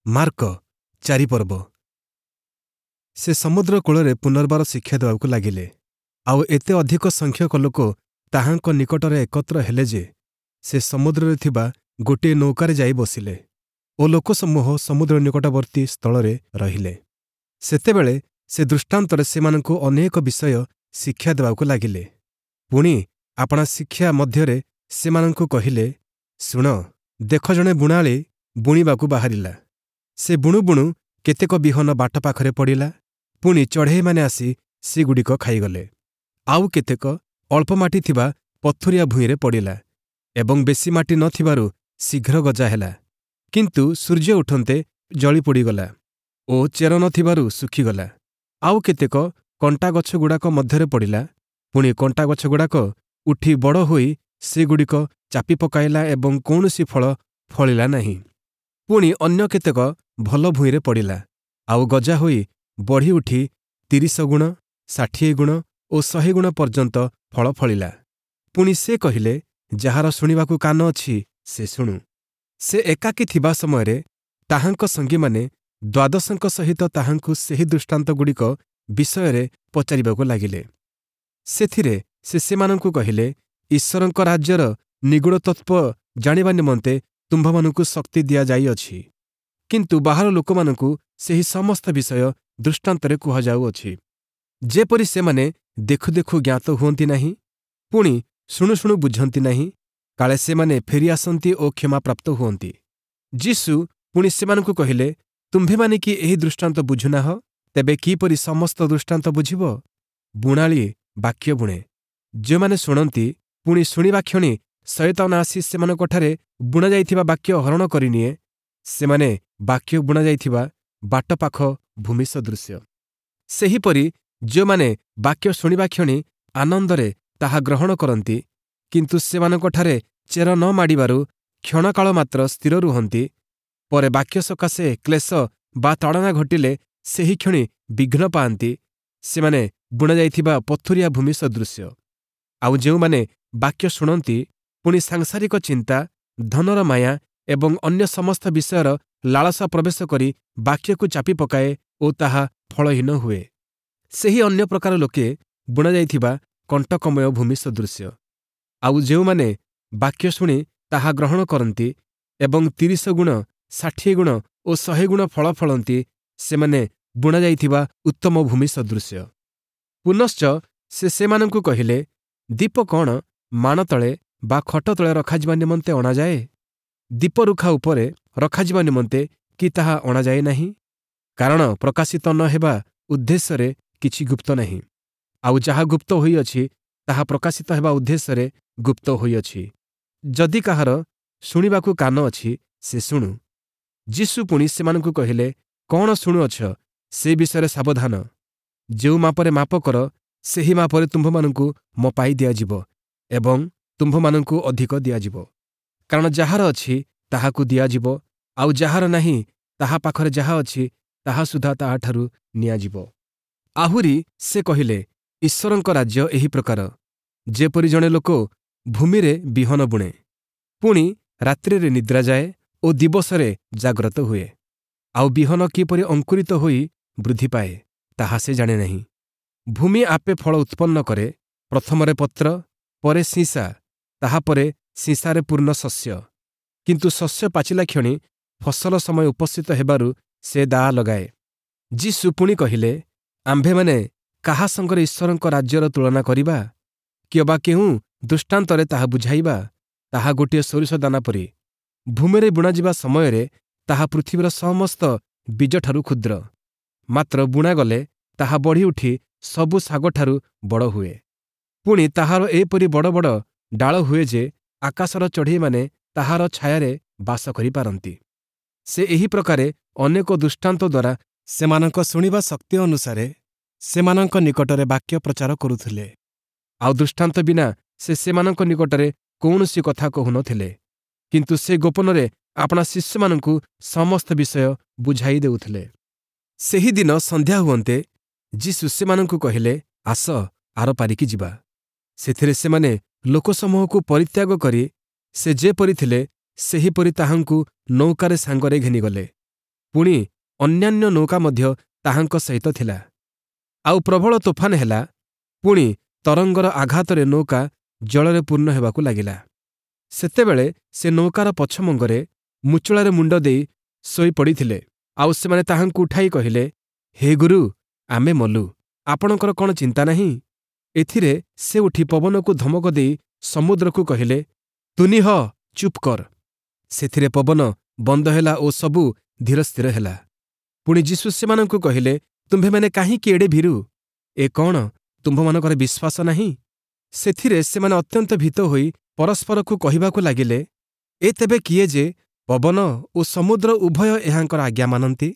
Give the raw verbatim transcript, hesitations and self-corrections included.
Mark ଚାରି ପର୍ବ ସେ ସମୁଦ୍ର କୂଳରେ ପୁନର୍ବାର ଶିକ୍ଷା ଦେବାକୁ ଲାଗିଲେ ଆଉ ଏତେ ଅଧିକ ସଂଖ୍ୟକ ଲୋକ ତାହାଙ୍କ ନିକଟରେ ଏକତ୍ର ହେଲେ ଯେ ସେ ସମୁଦ୍ରରେ ଥିବା ଗୋଟିଏ ନୌକାରେ ଯାଇ ବସିଲେ ଓ ଲୋକସମୂହ ସମୁଦ୍ର ନିକଟବର୍ତ୍ତୀ ସ୍ଥଳରେ ରହିଲେ। ସେତେବେଳେ ସେ ଦୃଷ୍ଟାନ୍ତରେ ସେମାନଙ୍କୁ ଅନେକ ବିଷୟ ଶିକ୍ଷା ଦେବାକୁ ଲାଗିଲେ। ପୁଣି ଆପଣା ଶିକ୍ଷା ମଧ୍ୟରେ ସେମାନଙ୍କୁ କହିଲେ, ଶୁଣ, ଦେଖ ଜଣେ ବୁଣାଳି ବୁଣିବାକୁ ବାହାରିଲା। ସେ ବୁଣୁ ବୁଣୁ କେତେକ ବିହନ ବାଟ ପାଖରେ ପଡ଼ିଲା, ପୁଣି ଚଢ଼େଇମାନେ ଆସି ସେଗୁଡ଼ିକ ଖାଇଗଲେ। ଆଉ କେତେକ ଅଳ୍ପ ମାଟି ଥିବା ପଥୁରିଆ ଭୂଇଁରେ ପଡ଼ିଲା ଏବଂ ବେଶୀ ମାଟି ନ ଥିବାରୁ ଶୀଘ୍ର ଗଜା ହେଲା। କିନ୍ତୁ ସୂର୍ଯ୍ୟ ଉଠନ୍ତେ ଜଳି ପୋଡ଼ିଗଲା ଓ ଚେର ନ ଥିବାରୁ ଶୁଖିଗଲା। ଆଉ କେତେକ କଣ୍ଟାଗଛଗୁଡ଼ାକ ମଧ୍ୟରେ ପଡ଼ିଲା, ପୁଣି କଣ୍ଟାଗଛଗୁଡ଼ାକ ଉଠି ବଡ଼ ହୋଇ ସେଗୁଡ଼ିକ ଚାପି ପକାଇଲା ଏବଂ କୌଣସି ଫଳ ଫଳିଲା ନାହିଁ। ପୁଣି ଅନ୍ୟ କେତେକ ଭଲ ଭୂଇଁରେ ପଡ଼ିଲା, ଆଉ ଗଜା ହୋଇ ବଢ଼ି ଉଠି ତିରିଶ ଗୁଣ, ଷାଠିଏ ଗୁଣ ଓ ଶହେ ଗୁଣ ପର୍ଯ୍ୟନ୍ତ ଫଳ ଫଳିଲା। ପୁଣି ସେ କହିଲେ, ଯାହାର ଶୁଣିବାକୁ କାନ ଅଛି, ସେ ଶୁଣୁ। ସେ ଏକାକୀ ଥିବା ସମୟରେ ତାହାଙ୍କ ସଙ୍ଗୀମାନେ ଦ୍ୱାଦଶଙ୍କ ସହିତ ତାହାଙ୍କୁ ସେହି ଦୃଷ୍ଟାନ୍ତଗୁଡ଼ିକ ବିଷୟରେ ପଚାରିବାକୁ ଲାଗିଲେ। ସେଥିରେ ସେ ସେମାନଙ୍କୁ କହିଲେ, ଈଶ୍ୱରଙ୍କ ରାଜ୍ୟର ନିଗୂଢ଼ ତତ୍ତ୍ୱ ଜାଣିବା ନିମନ୍ତେ ତୁମ୍ଭମାନଙ୍କୁ ଶକ୍ତି ଦିଆଯାଇଅଛି, କିନ୍ତୁ ବାହାର ଲୋକମାନଙ୍କୁ ସେହି ସମସ୍ତ ବିଷୟ ଦୃଷ୍ଟାନ୍ତରେ କୁହାଯାଉଅଛି, ଯେପରି ସେମାନେ ଦେଖୁ ଦେଖୁ ଜ୍ଞାତ ହୁଅନ୍ତି ନାହିଁ, ପୁଣି ଶୁଣୁ ଶୁଣୁ ବୁଝନ୍ତି ନାହିଁ, କାଳେ ସେମାନେ ଫେରିଆସନ୍ତି ଓ କ୍ଷମାପ୍ରାପ୍ତ ହୁଅନ୍ତି। ଯୀଶୁ ପୁଣି ସେମାନଙ୍କୁ କହିଲେ, ତୁମ୍ଭେମାନେ କି ଏହି ଦୃଷ୍ଟାନ୍ତ ବୁଝୁନାହ? ତେବେ କିପରି ସମସ୍ତ ଦୃଷ୍ଟାନ୍ତ ବୁଝିବ? ବୁଣାଳି ବାକ୍ୟ ବୁଣେ। ଯେଉଁମାନେ ଶୁଣନ୍ତି, ପୁଣି ଶୁଣିବା କ୍ଷଣି ଶୟତାନ ଆସି ସେମାନଙ୍କଠାରେ ବୁଣାଯାଇଥିବା ବାକ୍ୟ ହରଣ କରିନିଏ, ସେମାନେ ବାକ୍ୟ ବୁଣାଯାଇଥିବା ବାଟ ପାଖ ଭୂମି ସଦୃଶ୍ୟ। ସେହିପରି ଯେଉଁମାନେ ବାକ୍ୟ ଶୁଣିବା କ୍ଷଣି ଆନନ୍ଦରେ ତାହା ଗ୍ରହଣ କରନ୍ତି, କିନ୍ତୁ ସେମାନଙ୍କଠାରେ ଚେର ନ ମାଡ଼ିବାରୁ କ୍ଷଣକାଳ ମାତ୍ର ସ୍ଥିର ରୁହନ୍ତି, ପରେ ବାକ୍ୟ ସକାଶେ କ୍ଲେଶ ବା ତାଡ଼ନା ଘଟିଲେ ସେହିକ୍ଷଣି ବିଘ୍ନ ପାଆନ୍ତି, ସେମାନେ ବୁଣାଯାଇଥିବା ପଥୁରିଆ ଭୂମି ସଦୃଶ୍ୟ। ଆଉ ଯେଉଁମାନେ ବାକ୍ୟ ଶୁଣନ୍ତି, ପୁଣି ସାଂସାରିକ ଚିନ୍ତା, ଧନର ମାୟା ଏବଂ ଅନ୍ୟ ସମସ୍ତ ବିଷୟର ଲାଳସା ପ୍ରବେଶ କରି ବାକ୍ୟକୁ ଚାପି ପକାଏ ଓ ତାହା ଫଳହୀନ ହୁଏ। ସେହି ଅନ୍ୟ ପ୍ରକାର ଲୋକେ ବୁଣାଯାଇଥିବା କଣ୍ଟକମୟ ଭୂମି ସଦୃଶ୍ୟ। ଆଉ ଯେଉଁମାନେ ବାକ୍ୟ ଶୁଣି ତାହା ଗ୍ରହଣ କରନ୍ତି ଏବଂ ତିରିଶ ଗୁଣ, ଷାଠିଏ ଗୁଣ ଓ ଶହେ ଗୁଣ ଫଳ ଫଳନ୍ତି, ସେମାନେ ବୁଣାଯାଇଥିବା ଉତ୍ତମ ଭୂମି ସଦୃଶ୍ୟ। ପୁନଶ୍ଚ ସେ ସେମାନଙ୍କୁ କହିଲେ, ଦୀପ କ'ଣ ମାଣ ତଳେ ବା ଖଟ ତଳେ ରଖାଯିବା ନିମନ୍ତେ ଅଣାଯାଏ? ଦୀପରୁଖା ଉପରେ ରଖାଯିବା ନିମନ୍ତେ କି ତାହା ଅଣାଯାଏ ନାହିଁ? କାରଣ ପ୍ରକାଶିତ ନ ହେବା ଉଦ୍ଦେଶ୍ୟରେ କିଛି ଗୁପ୍ତ ନାହିଁ, ଆଉ ଯାହା ଗୁପ୍ତ ହୋଇଅଛି ତାହା ପ୍ରକାଶିତ ହେବା ଉଦ୍ଦେଶ୍ୟରେ ଗୁପ୍ତ ହୋଇଅଛି। ଯଦି କାହାର ଶୁଣିବାକୁ କାନ ଅଛି, ସେ ଶୁଣୁ। ଯୀଶୁ ପୁଣି ସେମାନଙ୍କୁ କହିଲେ, କ'ଣ ଶୁଣୁଅଛ ସେ ବିଷୟରେ ସାବଧାନ। ଯେଉଁ ମାପରେ ମାପ କର, ସେହି ମାପରେ ତୁମ୍ଭମାନଙ୍କୁ ମପାଇ ଦିଆଯିବ ଏବଂ ତୁମ୍ଭମାନଙ୍କୁ ଅଧିକ ଦିଆଯିବ। କାରଣ ଯାହାର ଅଛି ତାହାକୁ ଦିଆଯିବ, ଆଉ ଯାହାର ନାହିଁ ତାହା ପାଖରେ ଯାହା ଅଛି ତାହା ସୁଦ୍ଧା ତାହାଠାରୁ ନିଆଯିବ। ଆହୁରି ସେ କହିଲେ, ଈଶ୍ୱରଙ୍କ ରାଜ୍ୟ ଏହି ପ୍ରକାର, ଯେପରି ଜଣେ ଲୋକ ଭୂମିରେ ବିହନ ବୁଣେ, ପୁଣି ରାତ୍ରିରେ ନିଦ୍ରା ଯାଏ ଓ ଦିବସରେ ଜାଗ୍ରତ ହୁଏ, ଆଉ ବିହନ କିପରି ଅଙ୍କୁରିତ ହୋଇ ବୃଦ୍ଧି ପାଏ ତାହା ସେ ଜାଣେ ନାହିଁ। ଭୂମି ଆପେ ଫଳ ଉତ୍ପନ୍ନ କରେ, ପ୍ରଥମରେ ପତ୍ର, ପରେ ଶୀଷା, ତାହାପରେ ଶୀଷାରେ ପୂର୍ଣ୍ଣ ଶସ୍ୟ। କିନ୍ତୁ ଶସ୍ୟ ପାଚିଲା କ୍ଷଣି ଫସଲ ସମୟ ଉପସ୍ଥିତ ହେବାରୁ ସେ ଦାଆ ଲଗାଏ। ଯୀଶୁ ପୁଣି କହିଲେ, ଆମ୍ଭେମାନେ କାହା ସଙ୍ଗରେ ଈଶ୍ୱରଙ୍କ ରାଜ୍ୟର ତୁଳନା କରିବା? କିଅବା କେଉଁ ଦୃଷ୍ଟାନ୍ତରେ ତାହା ବୁଝାଇବା? ତାହା ଗୋଟିଏ ସୋରିଷ ଦାନା ପରି। ଭୂମିରେ ବୁଣାଯିବା ସମୟରେ ତାହା ପୃଥିବୀର ସମସ୍ତ ବୀଜଠାରୁ କ୍ଷୁଦ୍ର, ମାତ୍ର ବୁଣାଗଲେ ତାହା ବଢ଼ିଉଠି ସବୁ ଶାଗଠାରୁ ବଡ଼ ହୁଏ। ପୁଣି ତାହାର ଏପରି ବଡ଼ ବଡ଼ ଡାଳ ହୁଏ ଯେ ଆକାଶର ଚଢ଼େଇମାନେ ତାହାର ଛାୟାରେ ବାସ କରିପାରନ୍ତି। ସେ ଏହି ପ୍ରକାରେ ଅନେକ ଦୃଷ୍ଟାନ୍ତ ଦ୍ୱାରା ସେମାନଙ୍କ ଶୁଣିବା ଶକ୍ତି ଅନୁସାରେ ସେମାନଙ୍କ ନିକଟରେ ବାକ୍ୟ ପ୍ରଚାର କରୁଥିଲେ। ଆଉ ଦୃଷ୍ଟାନ୍ତ ବିନା ସେ ସେମାନଙ୍କ ନିକଟରେ କୌଣସି କଥା କହୁନଥିଲେ, କିନ୍ତୁ ସେ ଗୋପନରେ ଆପଣା ଶିଷ୍ୟମାନଙ୍କୁ ସମସ୍ତ ବିଷୟ ବୁଝାଇ ଦେଉଥିଲେ। ସେହିଦିନ ସନ୍ଧ୍ୟା ହୁଅନ୍ତେ ଯୀଶୁ ସେମାନଙ୍କୁ କହିଲେ, ଆସ ଆରପାରିକି ଯିବା। ସେଥିରେ ସେମାନେ ଲୋକସମୂହକୁ ପରିତ୍ୟାଗ କରି ସେ ଯେପରି ଥିଲେ ସେହିପରି ତାହାଙ୍କୁ ନୌକାରେ ସାଙ୍ଗରେ ଘେନିଗଲେ। ପୁଣି ଅନ୍ୟାନ୍ୟ ନୌକା ମଧ୍ୟ ତାହାଙ୍କ ସହିତ ଥିଲା। ଆଉ ପ୍ରବଳ ତୋଫାନ ହେଲା, ପୁଣି ତରଙ୍ଗର ଆଘାତରେ ନୌକା ଜଳରେ ପୂର୍ଣ୍ଣ ହେବାକୁ ଲାଗିଲା। ସେତେବେଳେ ସେ ନୌକାର ପଛମଙ୍ଗରେ ମୁଚୁଳାରେ ମୁଣ୍ଡ ଦେଇ ଶୋଇପଡ଼ିଥିଲେ। ଆଉ ସେମାନେ ତାହାଙ୍କୁ ଉଠାଇ କହିଲେ, ହେ ଗୁରୁ, ଆମେ ମଲୁ, ଆପଣଙ୍କର କ'ଣ ଚିନ୍ତା ନାହିଁ? ଏଥିରେ ସେ ଉଠି ପବନକୁ ଧମକ ଦେଇ ସମୁଦ୍ରକୁ କହିଲେ, ତୁନି ହ, ଚୁପ୍ କର। ସେଥିରେ ପବନ ବନ୍ଦ ହେଲା ଓ ସବୁ ଧୀରସ୍ଥିର ହେଲା। ପୁଣି ଯୀଶୁ ସେମାନଙ୍କୁ କହିଲେ, ତୁମ୍ଭେମାନେ କାହିଁକି ଏଡ଼େ ଭୀରୁ? ଏ କ'ଣ ତୁମ୍ଭମାନଙ୍କର ବିଶ୍ୱାସ ନାହିଁ? ସେଥିରେ ସେମାନେ ଅତ୍ୟନ୍ତ ଭୀତ ହୋଇ ପରସ୍ପରକୁ କହିବାକୁ ଲାଗିଲେ, ଏ ତେବେ କିଏ ଯେ ପବନ ଓ ସମୁଦ୍ର ଉଭୟ ଏହାଙ୍କର ଆଜ୍ଞା ମାନନ୍ତି?